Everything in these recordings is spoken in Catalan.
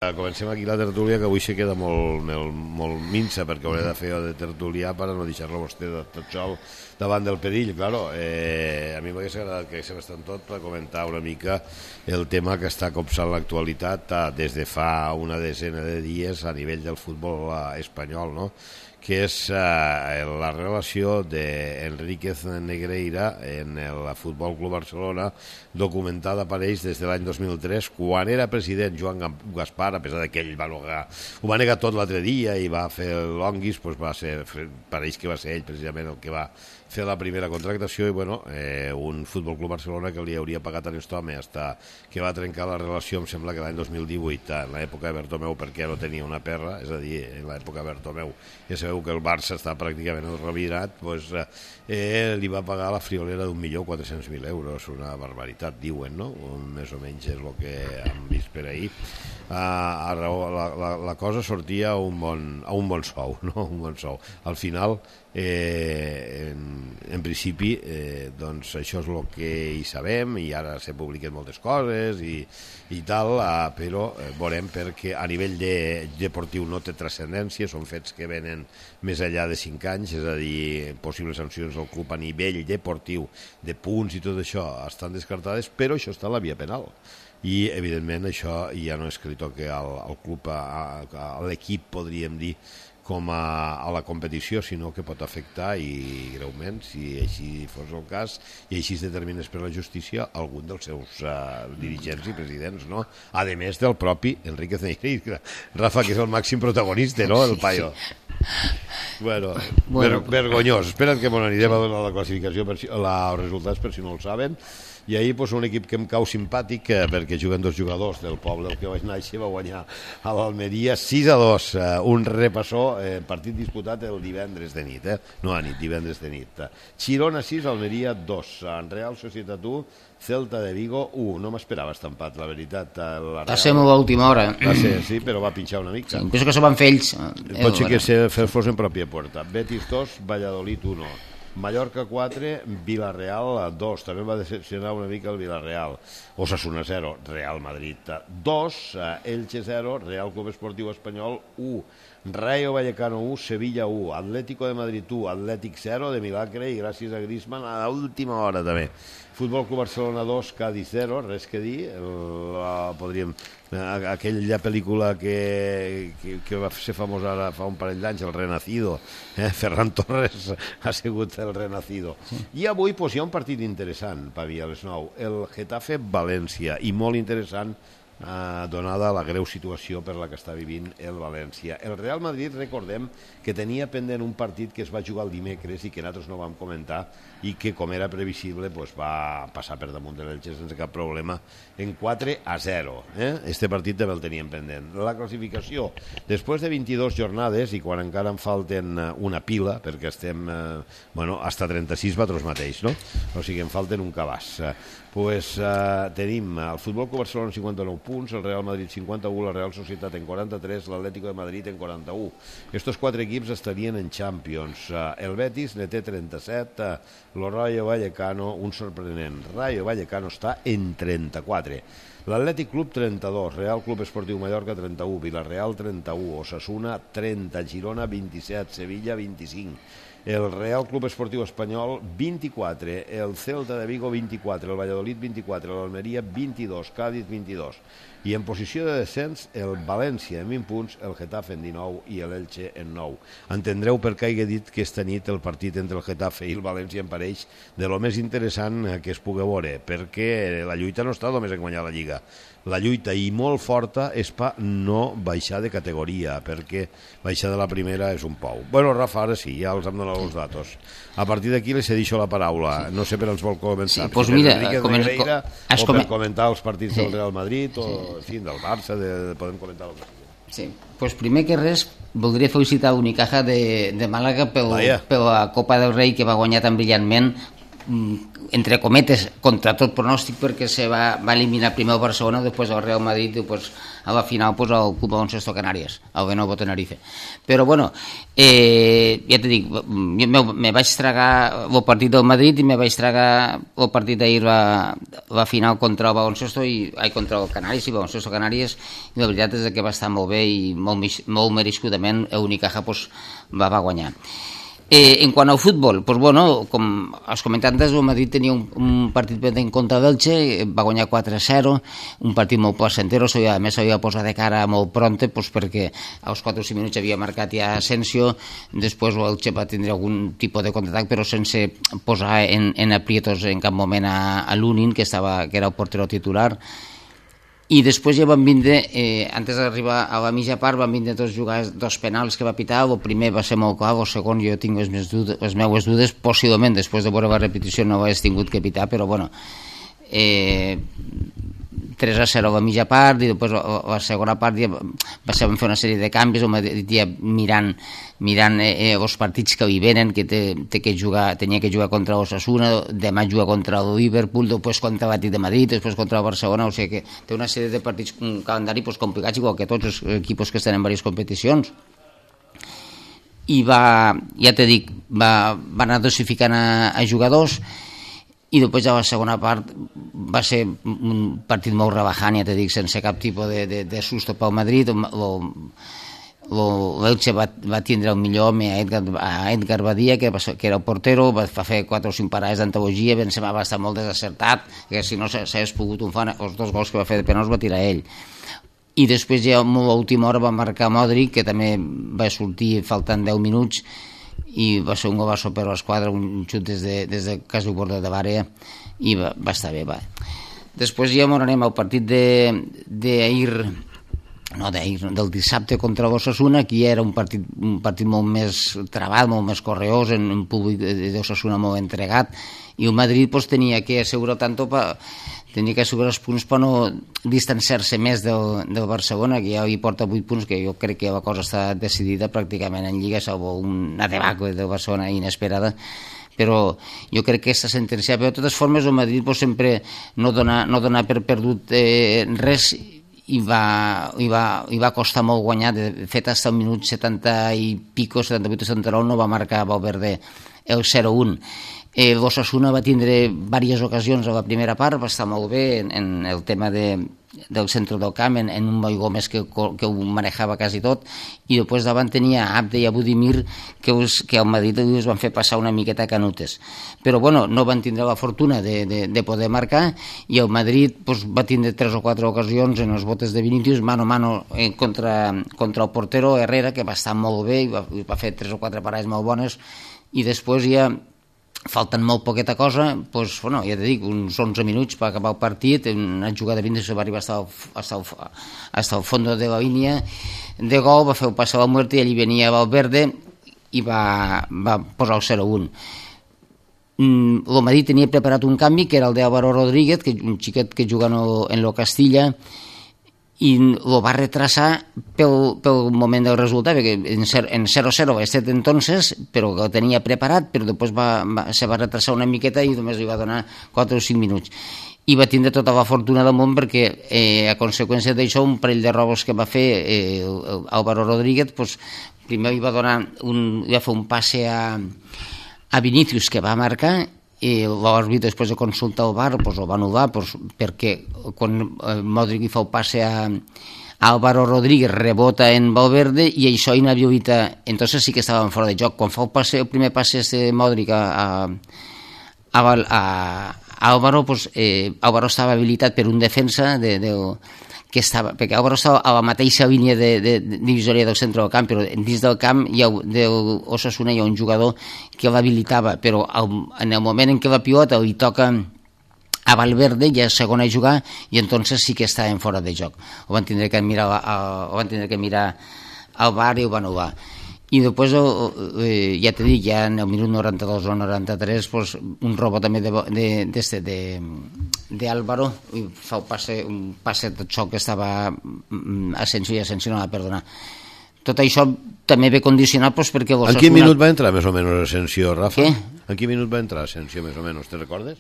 Comencem aquí la tertúlia, que avui se queda molt minsa, perquè hauré de fer de tertulià per no deixar-lo vostè tot sol davant del perill. Claro, a mi m'hagués agradat que haguéssim estat tot per comentar una mica el tema que està copsant l'actualitat des de fa una desena de dies a nivell del futbol espanyol, no? Que és la relació d'Enríquez Negreira en el Futbol Club Barcelona, documentada per ells des de l'any 2003, quan era president Joan Gaspar, a pesar que ell ho va negar tot l'altre dia i va fer l'onguis, pareix que va ser ell precisament el que va fer la primera contractació, i bueno, un Futbol Club Barcelona que li hauria pagat a aquest home hasta que va trencar la relació, em sembla que l'any 2018, en l'època de Bertomeu, perquè no tenia una perra, és a dir, en l'època de Bertomeu ja sabeu que el Barça està pràcticament revirat, doncs li va pagar la friolera d'1.400.000 euros, una barbaritat, diuen, no? Més o menys és el que hem vist per ahir. La cosa sortia a un bon sou, no? Un bon sou. Al final, en principi, doncs això és el que hi sabem, i ara se publiquen moltes coses i tal, però veurem, perquè a nivell deportiu no té transcendència, són fets que venen més enllà de 5 anys, és a dir, possibles sancions al club a nivell deportiu, de punts i tot això, estan descartades, però això està a la via penal. I, evidentment, això ja no és que li toqui al club, a l'equip, podríem dir, com a la competició, sinó que pot afectar, i greument, si així fos el cas, i així es determinés per la justícia, algun dels seus dirigents i presidents, no? A més del propi Enríquez Negreira, Rafa, que és el màxim protagonista, no?, el paio. Bueno, vergonyós. Espera't que m'ho anirem a donar la classificació, els resultats, per si no el saben. I ahir un equip que em cau simpàtic, perquè juguen dos jugadors del poble al que vaig néixer, va guanyar a l'Almeria 6-2, un repassó, partit disputat el divendres de nit, no a nit, divendres de nit. Girona 6, Almeria 2, Real Societat 1, Celta de Vigo 1. No m'esperava estampat, la veritat. Va ser molt a última hora. Va ser, sí, però va pinxar una mica. Sí, penso que s'ho van fer ells. Pot ser que fos en pròpia puerta. Betis 2, Valladolid 1. Mallorca 4, Villarreal 2. També va decepcionar una mica el Villarreal. Osasuna 0, Real Madrid 2, Elche 0, Real Club Esportiu Espanyol 1, Rayo Vallecano 1, Sevilla 1, Atlético de Madrid 1, Atlètic 0 de milagre i gràcies a Griezmann a l'última hora també. Futbol Club Barcelona 2, Cádiz 0, res que dir, aquella pel·lícula que va ser famosa ara fa un parell d'anys, El Renacido, Ferran Torres ha sigut el Renacido. I avui hi ha un partit interessant, Pavi, a les 9, el Getafe-València, i molt interessant, donada la greu situació per la que està vivint el València. El Real Madrid, recordem que tenia pendent un partit que es va jugar el dimecres i que nosaltres no vam comentar, i que, com era previsible, va passar per damunt de l'Elche sense cap problema en 4-0. Este partit també el teníem pendent. La classificació, després de 22 jornades, i quan encara en falten una pila, perquè estem, hasta 36 batros mateix, no? O sigui, en falten un cabàs. Tenim el Futbol Club Barcelona 59 punts, el Real Madrid 51, la Real Societat en 43, l'Atlético de Madrid en 41. Estos 4 equips estarien en Champions. El Betis ne té 37, el Rayo Vallecano, un sorprenent. Rayo Vallecano està en 34. L'Atlètic Club 32, Real Club Esportiu Mallorca 31, Villarreal 31, Osasuna 30, Girona 27, Sevilla 25. El Real Club Esportiu Espanyol 24, el Celta de Vigo 24, el Valladolid 24, l'Almeria 22, Cádiz 22. I en posició de descens, el València en 20 punts, el Getafe en 19 i l'Elche en 9. Entendreu per què he dit que esta nit el partit entre el Getafe i el València em pareix de lo més interessant que es pugui veure, perquè la lluita no està només en guanyar la Lliga. La lluita, i molt forta, és per no baixar de categoria, perquè baixar de la primera és un pou. Bueno, Rafa, ara sí, ja els hem donat els datos. A partir d'aquí li cedixo la paraula. No sé per ens vol començar. Sí, doncs mira, o per comentar els partits del Real Madrid, o en fi, del Barça, podem comentar el que sigui. Sí, doncs primer que res voldria felicitar l'Unicaja de Màlaga per la Copa del Rei, que va guanyar tan brillantment. entre cometes, contra tot pronòstic, perquè se va eliminar primer el Barcelona, després el Real Madrid, després a la final pues, el Club Baloncesto Canàries, el Lenovo Tenerife. Però bueno, ja te dic, me vaig tragar el partit del Madrid i me vaig tragar el partit d'ahir, la final contra el Baloncesto contra el Canàries i Baloncesto Canàries, i la veritat és que va estar molt bé i molt merescudament el Unicaja pues, va guanyar. En quant al futbol, pues bueno, com has comentat antes, el Madrid tenia un partit pendent contra l'Elche, va guanyar 4-0, un partit molt placentero, a més s'havia posat de cara molt pronte, pues perquè als 4 o 5 minuts havia marcat ja Asensio, després l'Elche va tindre algun tipus de contraatac, però sense posar en aprietos en cap moment a Lunin, que era el portero titular. I després ja van vindre, antes d'arribar a la mitja part, van vindre dos penals que va pitar. El primer va ser molt clar, el segon jo tinc les meues dudes, possiblement després de veure la repetició no ho hagués tingut que pitar, però bueno, 3-0 a la mitja part, i després la segona part ja van fer una sèrie de canvis, ja mirant els partits que hi venen, que tenia que jugar contra l'Osasuna, demà juga contra el Liverpool, després contra l'Atlètic de Madrid, després contra el Barcelona, o sigui que té una sèrie de partits, un calendari complicats, igual que tots els equips que estan en diverses competicions. I ja t'he dit, va anar dosificant a jugadors, i després a la segona part va ser un partit molt rebajant, ja t'he dit, sense cap tipus de susto pel Madrid. L'Elche va tindre el millor home a Edgar Badia, que era el portero, va fer 4 o 5 parades d'antologia, ben sembla va estar molt desacertat, que si no s'hagués pogut unfar, els 2 gols que va fer de penals va tirar ell. I després ja a l'última hora va marcar Modric, que també va sortir faltant 10 minuts, i va ser un golazo per l'esquadra, un xut des de quasi borde de l'àrea, i va estar bé. Després ja anem al partit del dissabte contra l'Osasuna. Aquí era un partit molt més trabat, molt més correós, en un públic d'Osasuna molt entregat, i el Madrid tenia que assegurar els punts per no distanciar-se més del Barcelona, que ja hi porta 8 punts, que jo crec que la cosa està decidida pràcticament en Lliga, salvo una debacle del Barcelona inesperada, però jo crec que està sentenciat. Però de totes formes el Madrid sempre no dona per perdut res, i va costar molt guanyar. De fet, fins al minut 70 i pico, 78 o 79, no va marcar Valverde el 0-1. L'Osasuna va tindre diverses ocasions a la primera part, va estar molt bé en el tema del centre del camp, en un Boi Gómez que ho manejava quasi tot, i després davant tenia Abde i Budimir, que al Madrid els van fer passar una miqueta canutes. Però bueno, no van tindre la fortuna de poder marcar, i el Madrid va tindre 3 o 4 ocasions en els botes de Vinicius, mano a mano contra el portero Herrera, que va estar molt bé, i va fer 3 o 4 parades molt bones, i després ja falten molt poqueta cosa, ja t'he dit, uns 11 minuts per acabar el partit, una jugada de Vinicius va arribar hasta el fondo de la línia de gol, va fer el pas a la muerte, i allí venia Valverde i va posar el 0-1. El Madrid tenia preparat un canvi, que era el d'Álvaro Rodríguez, un xiquet que juga en lo Castilla, i lo va retrasar pel moment del resultat, perquè en 0-0 va estar entonces, però que ho tenia preparat, però després se va retrasar una miqueta i només li va donar 4 o 5 minuts. I va tindre tota la fortuna del món, perquè a conseqüència d'això, un parell de robos que va fer Álvaro Rodríguez, primer li va fer un passe a Vinicius, que va marcar, i l'àrbitre, després de consultar el VAR, el va anul·lar, perquè quan Modric fa el passe a Álvaro Rodríguez rebota en Valverde i això inhabilita, entonces sí que estaven fora de joc. Quan fa el primer passe de Modric a Álvaro, Álvaro estava habilitat per un defensa perquè Álvaro estava a la mateixa línia de divisòria del centre del camp, però dins del camp d'Osasuna hi ha un jugador que l'habilitava, però en el moment en què la pilota li toca a Valverde, ja és segon a jugar, i entonces sí que estaven fora de joc. Ho van tindre que mirar al VAR i ho van anul·lar. I després, ja t'he dit, ja en el minut 92 o 93, un robot també d'Álvaro, fa un passe de xoc que estava Asensio, i Asensio no va perdonar. Tot això també ve condicionat perquè... En quin minut va entrar més o menys Asensio, Rafa? Què? En quin minut va entrar Asensio, més o menys, te recordes?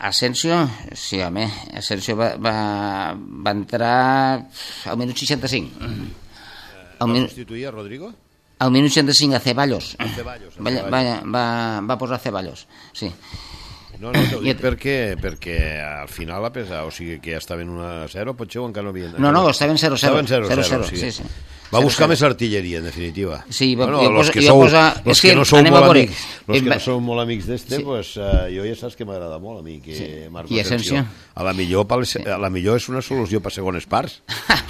Asensio, sí, home, Asensio va entrar al minut 65. Va substituir a Rodrigo? Al minut 65 a Ceballos. Ceballos. Va posar Ceballos, sí. No, t'ho dic perquè al final a pesar, o sigui que ja estaven 1-0, potser o encara no havien... No, estaven 0-0. Estaven 0-0, sí. Va buscar més artilleria, en definitiva. Sí, los que no sou molt amics, los que no sou molt amics d'este, pues jo ja saps que m'agrada molt a mi, que Marco Asensio. A la millor és una solució per segones parts.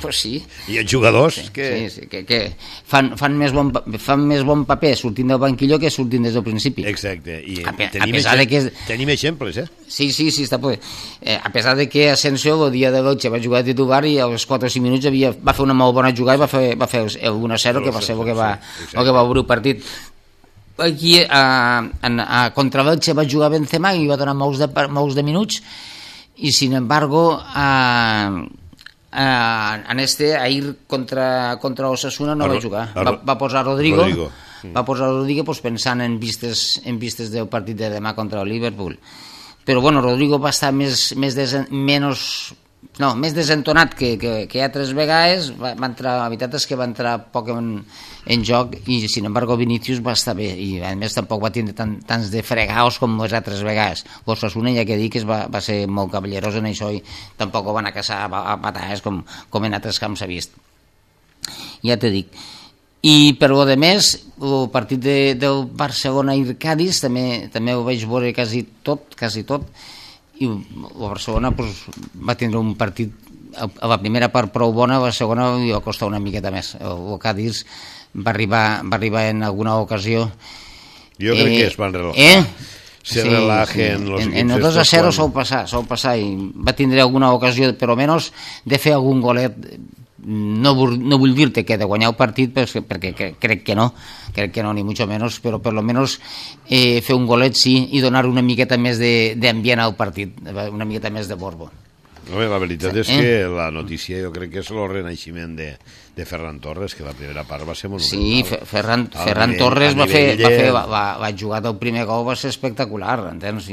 Pues sí. I els jugadors que fan més bon paper sortint del banquillo que sortint des del principi. Exacte. I tenim exemples, eh? Sí, està bé. A pesar de que Asensio el dia de l'Elche va jugar de titular i als 4 o 5 minuts va fer una molt bona jugada i va fer el 1-0 que va ser el que va obrir el partit. Aquí contra l'Elche va jugar Benzema i va donar molts de minuts i sin embargo ahir contra Osasuna no va jugar, va posar Rodrigo. Va posar Rodrigo pues, pensant en vistes del partit de demà contra el Liverpool, però bueno, Rodrigo va estar més desentonat que altres vegades. Va entrar, la veritat és que va entrar poc en joc i sin embargo Vinicius va estar bé i a més tampoc va tindre tants de fregaos com les altres vegades. Osasuna ja que dic va ser molt cavallerós en això i tampoc ho van a caçar a patades com en altres camps s'ha vist, ja te dic. I per lo de més, el partit del Barcelona i Cádiz també ho vaig veure quasi tot, i el Barcelona pues, va tindre un partit a la primera part prou bona, a la segona li va costar una miqueta més. El Cádiz va arribar en alguna ocasió. Jo crec que es van relajar. Se relajen los equipos. En el 2-0 sol passar i va tindre alguna ocasió, però menys, de fer algun golet. No vull dir-te que de guanyar el partit perquè crec que no, ni mucho menos, però per lo menos fer un golet sí i donar una miqueta més d'ambient al partit, una miqueta més de borbo. La veritat és que la notícia jo crec que és el renaixement de Ferran Torres, que la primera part va ser monumental. Sí, Ferran Torres va jugar el primer gol, va ser espectacular, entens?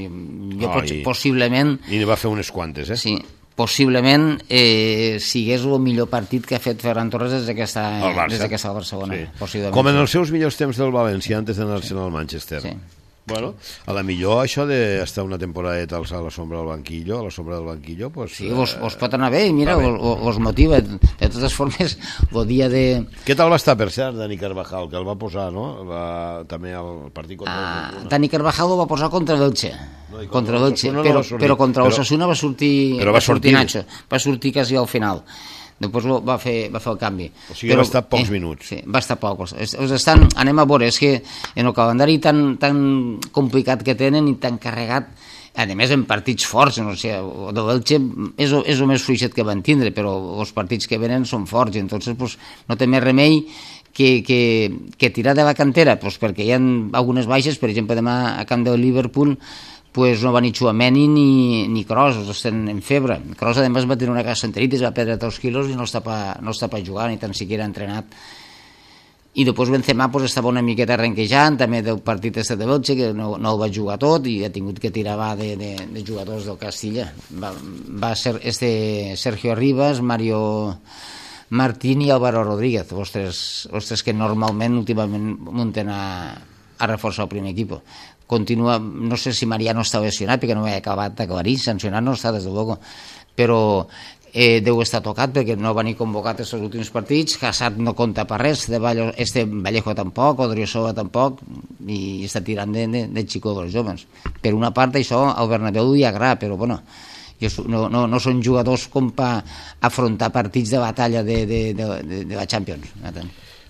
Possiblement... I va fer unes quantes, eh? Sí, possiblement sigués el millor partit que ha fet Ferran Torres des que està al Barcelona. Sí. Com en els seus millors temps del València antes d'anar-se'n al Manchester. Sí. Bueno, a la millor això d'estar una temporadeta a la sombra del banquillo, pues... Sí, us pot anar bé, i mira, us motiva. De totes formes, el dia de... Què tal va estar, per cert, Dani Carvajal, que el va posar, no? També al partit contra el... Dani Carvajal el va posar contra l'Elche. Contra l'Elche, però contra l'Osasuna va sortir Nacho. Va sortir quasi al final. Després va fer el canvi. O sigui, va estar pocs minuts. Sí, va estar pocs. Anem a veure, és que en el calendari tan complicat que tenen i tan carregat, a més en partits forts, no sé, el d'Elche és el més fluixet que van tindre, però els partits que venen són forts, i entonces pues, no té més remei que tirar de la cantera, pues, perquè hi ha algunes baixes, per exemple, demà a camp del Liverpool, pues no va ni Tchouaméni ni Kroos, estan en febre. Kroos además va tenir una gastroenteritis, va perdre 3 quilos i no està per jugar, ni tan siquiera entrenat. I després Benzema pues, estava una miqueta renquejant, també del partit de l'Elche, que no el va jugar tot i ha tingut que tirar de jugadors del Castilla. Va ser Sergio Rivas, Mario Martín i Álvaro Rodríguez, els tres que normalment últimament munten a reforçar el primer equip. Continua, no sé si Mariano està lesionat perquè no ho he acabat d'aclarir, sancionat no està des de luego, però deu estar tocat perquè no va ni convocat els últims partits. Hazard no compta per res, Vallejo tampoc, Odriozola tampoc, i està tirant de xico dels joves. Per una part això al Bernabéu li agrada, però bueno, no són jugadors com per afrontar partits de batalla de la Champions.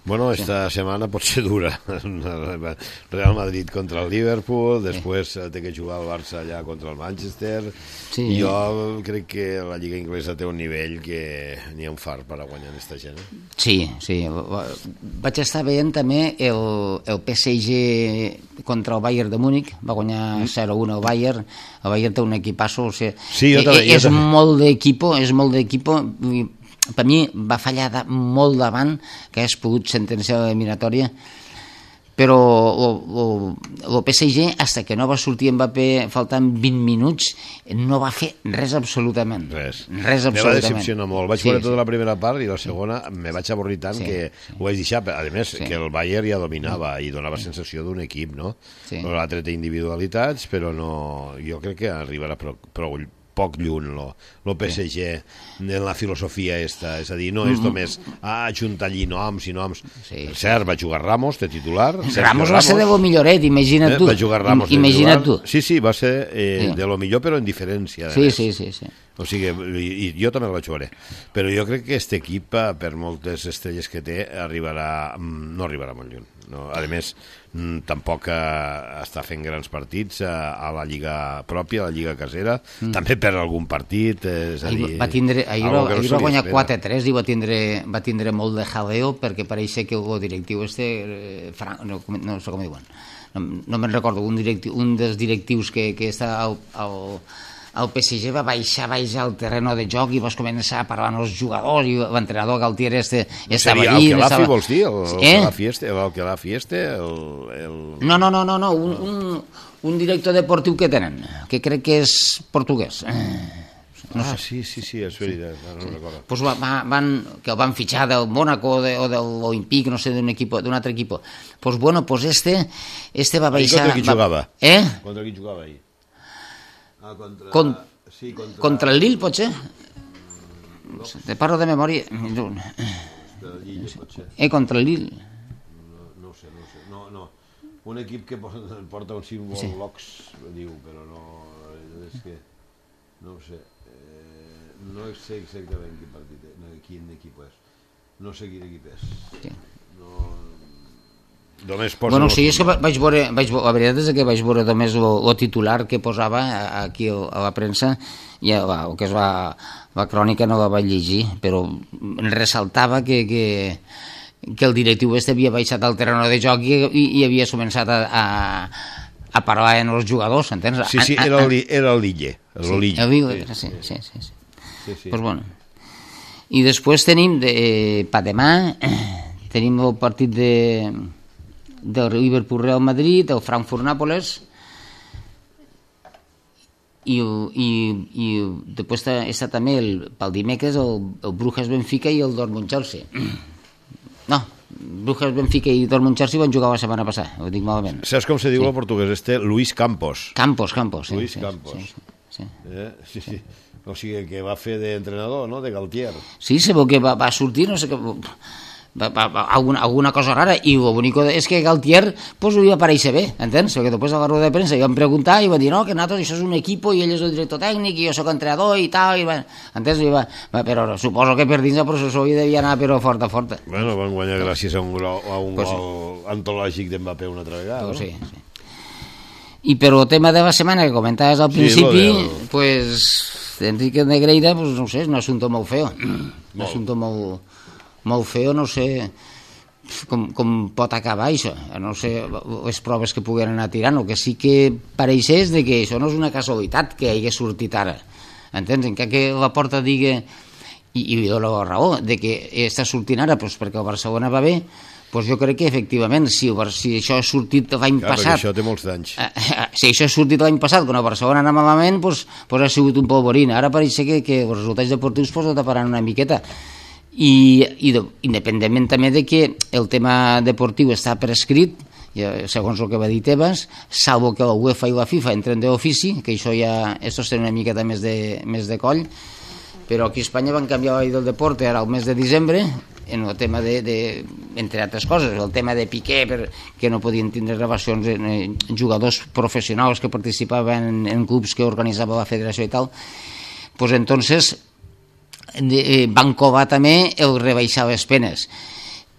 Bueno, esta setmana pot ser dura. Real Madrid contra el Liverpool, després té que jugar el Barça allà contra el Manchester. Sí. Jo crec que la Lliga Inglesa té un nivell que n'hi ha un far per a guanyar aquesta gent. Sí. Vaig estar veient també el PSG contra el Bayern de Múnich, va guanyar 0-1 el Bayern. El Bayern té un equipasso, o sigui, sí, és molt d'equipo, per mi va fallar molt davant que hagués pogut sentenciar l'eliminatòria, però el PSG, hasta que no va sortir Mbappé faltant 20 minuts, no va fer res absolutament. Res absolutament. Me va decepcionar molt. Vaig veure tota la primera part i la segona me vaig avorrir tant que ho vaig deixar. A més, que el Bayern ja dominava i donava sensació d'un equip, no? L'altre té individualitats, però no... Jo crec que arribarà prou poc lluny el PSG en la filosofia esta, és a dir, no és només ajuntar allí noms i noms. Cert, va jugar Ramos de titular. Ramos va ser de lo milloret, imagina't tu. Va jugar Ramos de titular. Sí, va ser de lo millor, però en diferència. Sí. O sigui, jo també el vaig veure. Però jo crec que aquest equip, per moltes estrelles que té, no arribarà molt lluny. A més, tampoc està fent grans partits a la lliga pròpia, a la lliga casera, també perd algun partit, és a dir... Ahir va guanyar 4-3 i va tindre molt de jaleo perquè pareix que el directiu no sé com diuen, no me'n recordo, un dels directius que està el PSG va baixar al terreno de joc i vas començar a parlar amb els jugadors i l'entrenador Galtier estava allí. El Kelaffi vols dir? El Fieste? No, un director deportiu que tenen, que crec que és portuguès. Sí, és veritat, no recordo. Pues que el van fitxar del Mónaco o de l'Olympique, no sé, d'un altre equip. Pues bueno, este va baixar... Contra qui jugava? Contra qui jugava ahir? Contra el Lille, potser? Te parlo de memòria. Contra el Lille. No sé. No. Un equip que porta un símbol LOX, diu, però no... És que... No ho sé. No sé exactament quin equip és. No sé quin equip és. Bueno, sí, és que vaig veure, la veritat és que vaig veure només el titular que posava aquí a la premsa i el que és la crònica no la vaig llegir, però ressaltava que el directiu havia baixat al terreno de joc i havia començat a parlar amb els jugadors, entens? Sí, era l'Ille. Sí. Pues bueno. I després tenim demà tenim el partit del Liverpool Real Madrid, el Frankfurt-Nàpoles i després està també pel dimecres el Brujas-Benfica i el Dortmund-Chelsea. No, Brujas-Benfica i Dortmund-Chelsea van jugar la setmana passada, ho dic malament. Saps com se diu el portuguès? Luis Campos. Campos. Luis Campos. Sí. O sigui, que va fer d'entrenador, no?, de Galtier. Sí, sé que va sortir, no sé què... alguna cosa rara, i el bonic és que Galtier pues li va aparèixer bé, entens? Perquè després a la roda de premsa li van preguntar i va dir, no, que nosaltres això és un equip i ell és el director tècnic i jo soc entrenador i tal, entens? Però suposo que per dins el processor hi devia anar però forta. Bueno, van guanyar gràcies a un gol antològic d'Mbappé una altra vegada, no? Sí. I per el tema de la setmana que comentaves al principi, pues Enrique Negreira, pues no sé, és un assumpte molt feo, un assumpte molt feo, no sé com pot acabar això, no sé les proves que puguen anar tirant. El que sí que pareix és que això no és una casualitat que hagi sortit ara, entens? En que la Porta digui, i li dona la raó, de que està sortint ara perquè el Barcelona va bé, doncs jo crec que efectivament si això ha sortit l'any passat, això té molts d'anys, si això ha sortit l'any passat quan el Barcelona anava malament, doncs ha sigut un polvorín. Ara pareix que els resultats deportius ho taparan una miqueta. I independentment també de que el tema deportiu està prescrit, segons el que va dir Tebas, salvo que la UEFA i la FIFA entren d'ofici, que això ja estos tenen una miqueta més de coll, però aquí a Espanya van canviar la llei del deporte ara al mes de desembre en el tema entre altres coses, el tema de Piqué, que no podien tindre relacions amb jugadors professionals que participaven en clubs que organitzava la federació i tal, doncs entonces van covar també el rebaixar les penes.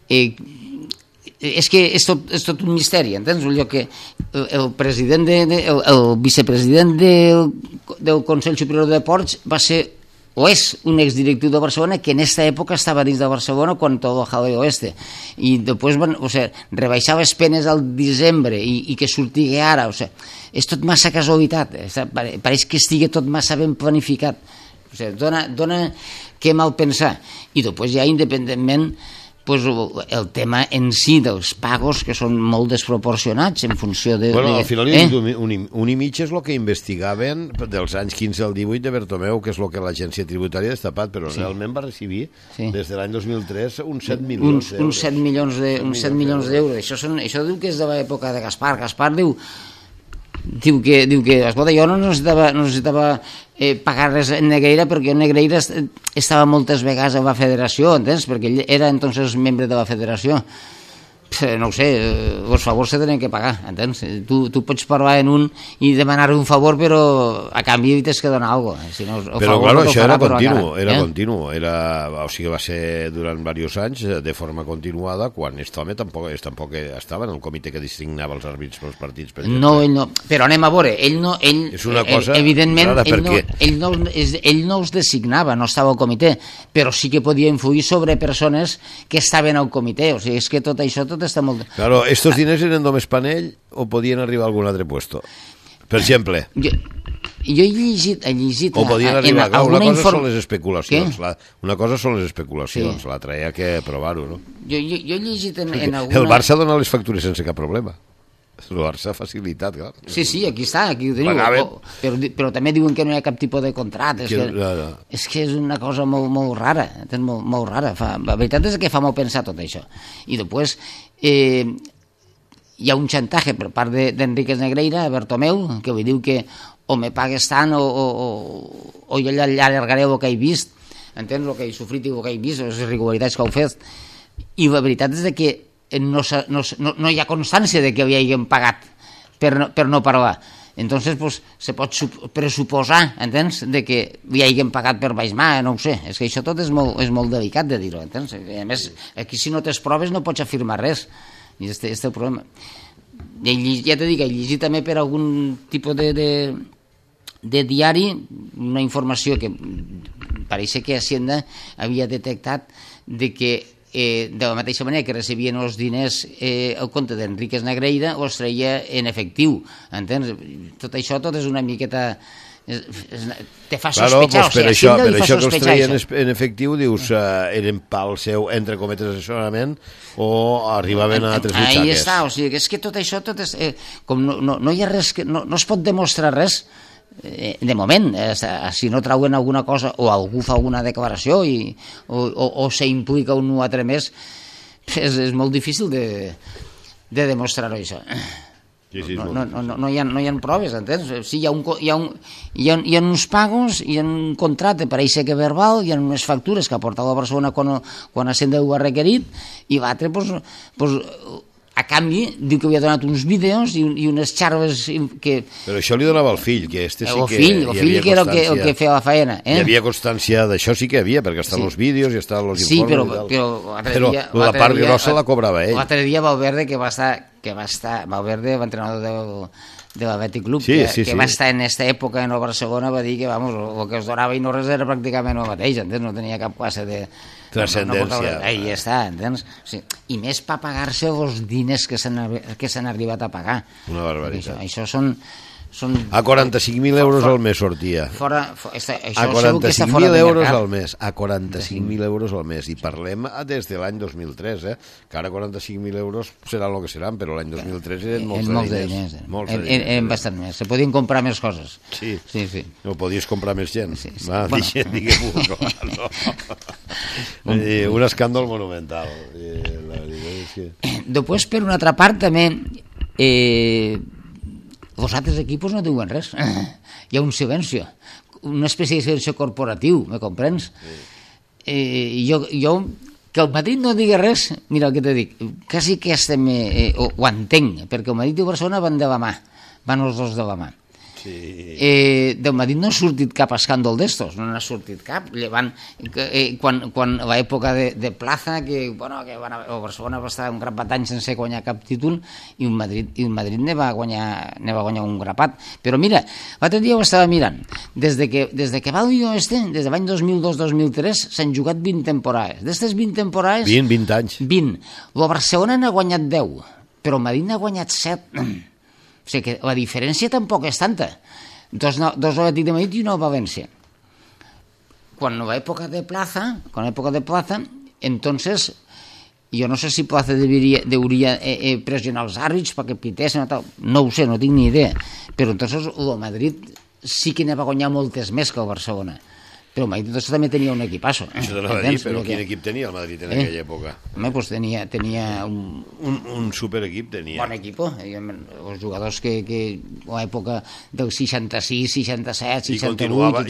És que és tot un misteri, entens? Que el president el vicepresident del Consell Superior de Deports va ser o és un exdirectiu de Barcelona que en aquesta època estava dins de Barcelona quan tot el jaleo i després rebaixar les penes al desembre i que sortigui ara, és tot massa casualitat, pareix que estigui tot massa ben planificat, dona que mal pensar. I després ja independentment pues, el tema en si dels pagos, que són molt desproporcionats en funció de... Bueno, al final un i mig és el que investigaven dels anys 15 al 18 de Bertomeu, que és el que l'agència tributària ha destapat, però realment va recibir des de l'any 2003 uns 7 milions d'euros. Uns 7 milions d'euros. Això diu que és de l'època de Gaspar. Gaspar diu que escolta, jo no necessitava pagar res en Negreira, perquè Negreira estava moltes vegades a la federació, entens? Perquè ell era entonces membre de la federació. No ho sé, els favors se tenen que pagar, entens? Tu pots parlar en un i demanar un favor, però a canvi tens que donar alguna cosa. Si no, però, clar, això era continu. O sigui, va ser durant diversos anys, de forma continuada, quan aquest home tampoc estava en el comitè que designava els àrbits pels partits. No, ell no. Però anem a veure, és una cosa evidentment, rara, ell no els designava, no estava al comitè, però sí que podia influir sobre persones que estaven al comitè. O sigui, és que tot això està molt... Claro, estos diners eren només per ell o podien arribar a algun altre puesto? Per exemple. Jo he llegit o podien arribar... Una cosa són les especulacions. Una cosa són les especulacions. L'altra hi ha que provar-ho, no? Jo he llegit en alguna... El Barça dona les factures sense cap problema. El Barça ha facilitat, clar. Sí, aquí està, aquí ho teniu. Però també diuen que no hi ha cap tipus de contracte. És que és una cosa molt rara, molt rara. La veritat és que fa molt pensar tot això. I després hi ha un xantatge per part d'Enríquez Negreira a Bertomeu, que li diu que o me pagues tant o jo allargaré el que he vist, entens? El que he sofrit i el que he vist, les irregularitats que heu fet. I la veritat és que no hi ha constància de que li hagin pagat per no parlar. Entonces, pues, se pot pressuposar, entens, de que li hagin pagat per baix mà, no ho sé. És que això tot és molt delicat de dir-ho, entens? A més, aquí si no tens proves no pots afirmar res. I este és el problema. Ja t'he dit que he llegit també per algun tipus de diari una informació que pareix que Hacienda havia detectat de que de la mateixa manera que recibien els diners al compte d'Enríquez Negreira, els treia en efectiu, entens? Tot això és una miqueta... te fa sospechar, per això que els treien en efectiu, dius, eren pel seu, entre cometes, assessorament o arribaven a altres butxaques. Ahí està, o sigui, és que tot això com no hi ha res, no es pot demostrar res de moment, si no trauen alguna cosa o algú fa alguna declaració o s'implica un altre més, és molt difícil de demostrar-ho això. No hi ha proves, entens? Sí, hi ha uns pagos, hi ha un contracte, pareix que verbal, hi ha unes factures que ha portat la persona quan Hacienda ho ha requerit, i l'altre, a canvi, diu que havia donat uns vídeos i unes xarves que... Però això li donava el fill, que este sí que hi havia constància. El fill que era el que feia la faena. Hi havia constància d'això, sí que hi havia, perquè estan els vídeos i estan els informes. Sí, però la part grossa la cobrava ell. L'altre dia Valverde, que va estar Valverde, l'entrenador de l'Atlètic Club, que va estar en aquesta època en el Barcelona, va dir que el que es donava i no res era pràcticament el mateix, entens? No tenia cap classe de transcendència. Ahí està, entens? I més per pagar-se els diners que s'han arribat a pagar. Una barbaritat. Això són... A 45.000 euros al mes sortia. A 45.000 euros al mes. A 45.000 euros al mes. I parlem des de l'any 2003, que ara 45.000 euros seran el que seran, però l'any 2003 eren molts de diners. Eren bastant més. Se podien comprar més coses. Sí. No podies comprar més gent. Diguem-ho. Un escàndol monumental. Després, per una altra part, també... els altres equipos no diuen res. Hi ha un silenci, una espècie de silenci corporatiu, me comprens? Jo que el Madrid no digui res, mira el que te dic, quasi que ho entenc, perquè el Madrid i el Barcelona van de la mà, van els dos de la mà. Del Madrid no ha sortit cap escàndol d'estos, no n'ha sortit cap. Quan l'època de Plaza, que el Barcelona va estar un grapat d'anys sense guanyar cap títol, i el Madrid ne va guanyar un grapat. Però mira, l'altre dia ho estava mirant, des de que va el des de l'any 2002-2003 s'han jugat 20 temporades. D'estes 20 temporades... 20 anys. 20. El Barcelona n'ha guanyat 10, però el Madrid n'ha guanyat 7. O sigui que la diferència tampoc és tanta. Dos Atlètic de Madrid i una València. Quan a l'època de Plaza, entonces Jo no sé si Plaza deuria pressionar els àrbits perquè pitessin o tal. No ho sé, no tinc ni idea. Però entonces el Madrid sí que ne va guanyar moltes més que el Barcelona. Però el Madrid entonces també tenia un equipasso. Això t'anava a dir, però quin equip tenia el Madrid en aquella època? Home, pues tenia un superequip tenia. Bon equip. Els jugadors que a l'època del 66, 67, 68...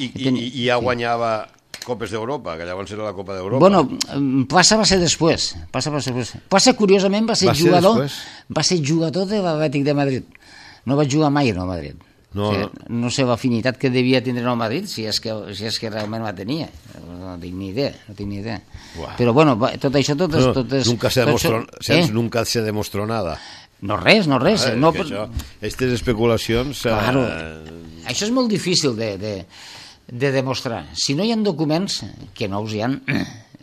I ja guanyava Copes d'Europa, que llavors era la Copa d'Europa. Bueno, Plaça va ser després. Plaça, curiosament, va ser jugador de l'Atlètic de Madrid. No va jugar mai en el Madrid. No sé l'afinitat que devia tindre el Madrid, si és que realment la tenia. No tinc ni idea. Però bueno, tot això... Nunca se demostró nada. No res. Aquestes especulacions... Claro, això és molt difícil de demostrar. Si no hi ha documents, que no us hi ha,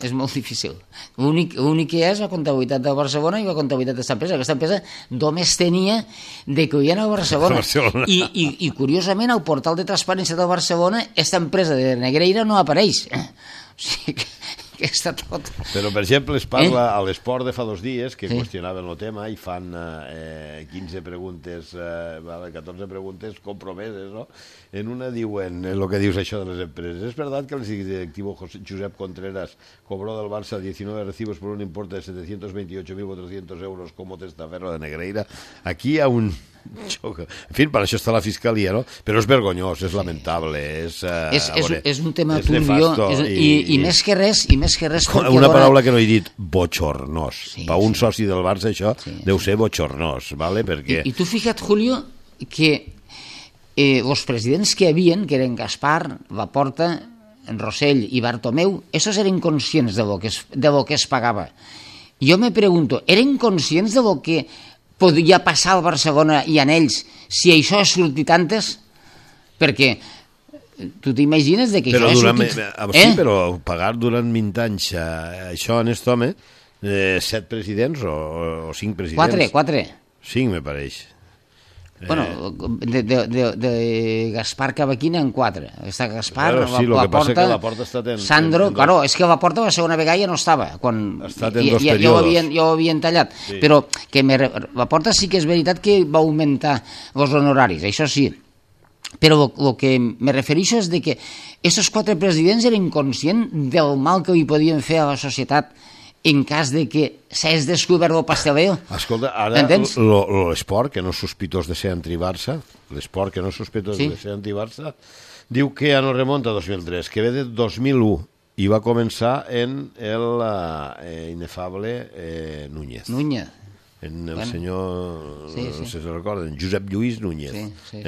és molt difícil. L'únic que hi ha és la comptabilitat de Barcelona i la comptabilitat d'aquesta empresa. Aquesta empresa només tenia de que hi ha a Barcelona. I curiosament, al portal de transparència de Barcelona, aquesta empresa de Negreira no apareix. O sigui que està tot... Però, per exemple, es parla a l'Esport de fa 2 dies, que qüestionaven el tema i fan 15 preguntes, 14 preguntes compromeses, no? En una diuen, el que dius això de les empreses, ¿es verdad que el directivo Josep Contreras cobró del Barça 19 recibos por un importe de 728.400 euros como testaferro de Negreira? Aquí hi ha un... En fi, per això està la Fiscalia, no? Però és vergonyós, és lamentable, és un tema turbio i més que res una paraula que no he dit, bochornós. Per un soci del Barça això deu ser bochornós, ¿vale? Perquè... I tu fija't, Julio, que els presidents que hi havia, que eren Gaspar, Laporta, Rossell i Bartomeu, esos eren conscients de lo que es pagava. Jo me pregunto, eren conscients de lo que podria passar al Barcelona i en ells si això ha sortit antes? Perquè tu t'imagines que això ha sortit... Sí, però pagar durant 20 anys això en aquest home, 7 presidents o 5 presidents? 4. 5, me pareix. Bueno, de Gaspar Cavaquina en 4. Està Gaspar, Laporta Sandro... Claro, és que Laporta la segona vegada ja no estava. Ha estat en 2 períodes. Ja ho havien tallat. Però que Laporta sí que és veritat que va augmentar els honoraris, això sí. Però el que me refereixo és de que aquests 4 presidents eren conscients del mal que li podien fer a la societat en cas de que s'hagués descobert el pasteleo. Escolta, ara l'esport, que no és sospitós de ser anti-Barça, l'esport que no és sospitós de ser anti-Barça, diu que ja no remunta a 2003, que ve de 2001 i va començar en l'inefable Núñez. El senyor, no sé si se recorden, Josep Lluís Núñez,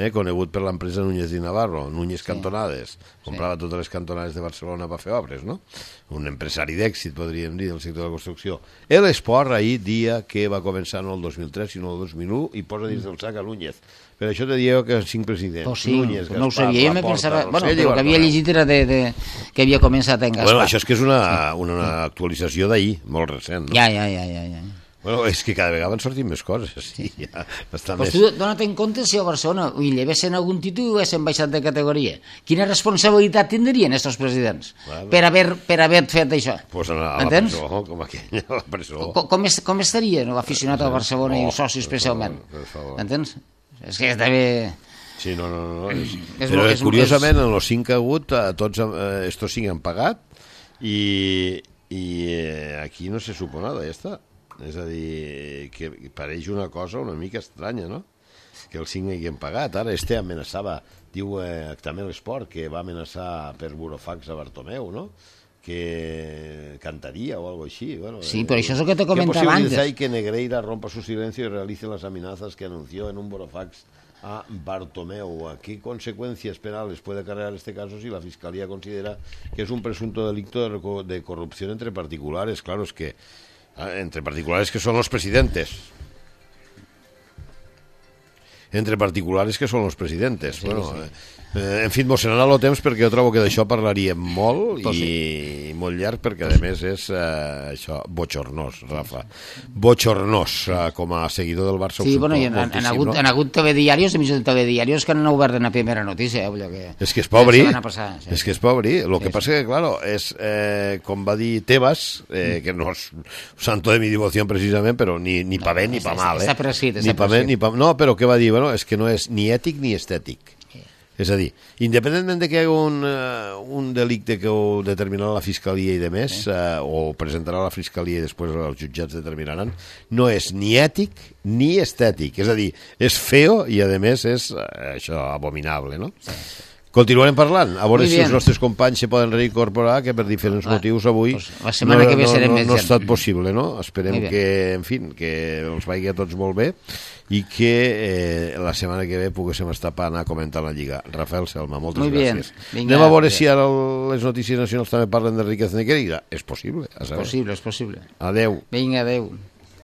conegut per l'empresa Núñez i Navarro, Núñez Cantonades, comprava totes les cantonades de Barcelona per fer obres, no? Un empresari d'èxit, podríem dir, del sector de la construcció. L'esport ahir dia que va començar no el 2003, sinó el 2001, i posa dins del sac a Núñez. Per això te dieu que 5 presidents. Núñez, Gaspar, no ho sabia, jo me pensava... Bueno, però el que havia llegit era que havia començat en Gaspar. Bueno, això és que és una actualització d'ahir, molt recent, no? Ja. Bueno, és que cada vegada van sortint més coses. Sí, ja està pues més... Tu dona't en compte si a Barcelona hi llevessin algun títol i ho haguessin baixat de categoria. Quina responsabilitat tindrien aquests presidents per haver fet això? Pues a la presó, com aquella, a la presó. Com estaria l'aficionat al Barcelona i el soci especialment? Entens? És que està bé... Sí, no. Però curiosament, en els 5 que ha hagut, tots estos 5 han pagat i aquí no se supo nada, ja està. És a dir, que pareix una cosa una mica estranya, no? Que els 5 hagin pagat. Ara amenaçava, diu també l'esport, que va amenaçar per burofax a Bartomeu, no? Que cantaria o algo així. Bueno, sí, però això és el que te comentava antes. ¿Qué posibilidad hay que Negreira rompa su silencio y realice las amenazas que anunció en un burofax a Bartomeu? ¿A qué consecuencias penales puede acarrear este caso si la Fiscalía considera que es un presunto delito de corrupción entre particulares? Claro, es que entre particulares que son los presidentes. Entre particulares que son los presidentes. Sí, bueno, sí. En fi, mos n'ha anat el temps perquè jo trobo que d'això parlaríem molt i molt llarg, perquè a més és això, bochornós, Rafa. Bochornós, com a seguidor del Barça. Sí, bueno, han hagut telediarios, emissions de telediarios que han obert en la primera notícia. És que és pobri, és que és pobri. El que passa que, claro, és, com va dir Tebas, que no és santo de mi devoció precisament, però ni pa bé ni pa mal. Està prescrit. No, però què va dir? Bueno, és que no és ni ètic ni estètic. És a dir, independentment de que hi hagi un delicte que ho determinarà la Fiscalia i de més, o presentarà la Fiscalia i després els jutjats determinaran, no és ni ètic ni estètic. És a dir, és feo i, a més, és això abominable, no? Continuarem parlant, a veure si els nostres companys se poden reincorporar, que per diferents motius avui la setmana que ve serem més no ha estat possible, no? Esperem que, en fi, que els vagi a tots molt bé i que la setmana que ve poguéssim estar per anar comentant la Lliga. Rafael Selma, moltes gràcies. Anem a veure si ara les notícies nacionals també parlen d'Enriquez Negreira. És possible, a saber. És possible. Adeu. Vinga, adeu.